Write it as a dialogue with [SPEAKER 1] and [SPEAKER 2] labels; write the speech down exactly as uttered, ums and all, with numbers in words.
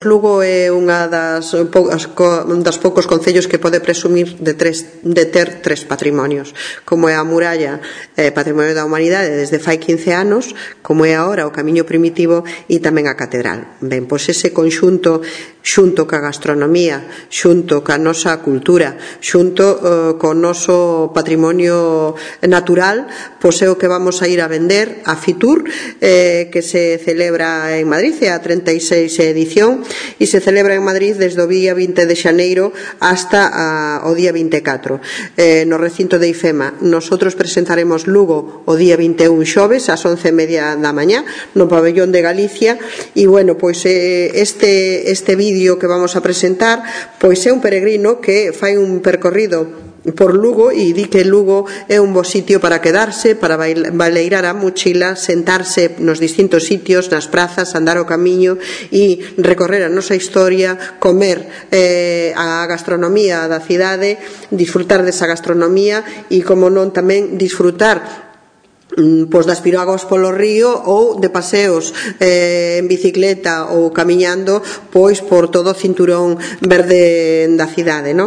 [SPEAKER 1] Lugo é unha das, das poucos concellos que pode presumir de, tres, de ter tres patrimonios, como é a muralla, eh, Patrimonio da Humanidade desde fai quince anos, como é agora o Camiño Primitivo e tamén a Catedral. Ben, pois ese conxunto xunto ca gastronomía, xunto ca nosa cultura, xunto eh, co noso patrimonio natural, pois é o que vamos a ir a vender a Fitur, eh, que se celebra en Madrid, é a treinta e seis edición, e se celebra en Madrid desde o día vinte de xaneiro hasta a, o día vinte e catro eh, no recinto de IFEMA. Nosotros presentaremos Lugo o día vinte e un xoves ás once e media da mañá no pabellón de Galicia e bueno, pois eh, este, este vídeo que vamos a presentar pois é un peregrino que fai un percorrido por Lugo e di que Lugo é un bo sitio para quedarse, para baleirar a mochila, sentarse nos distintos sitios, nas prazas, andar o camiño e recorrer a nosa historia, comer eh, a gastronomía da cidade, disfrutar desa gastronomía e, como non, tamén disfrutar pois das piráguas polo río ou de paseos eh, en bicicleta ou camiñando pois por todo o cinturón verde da cidade, non?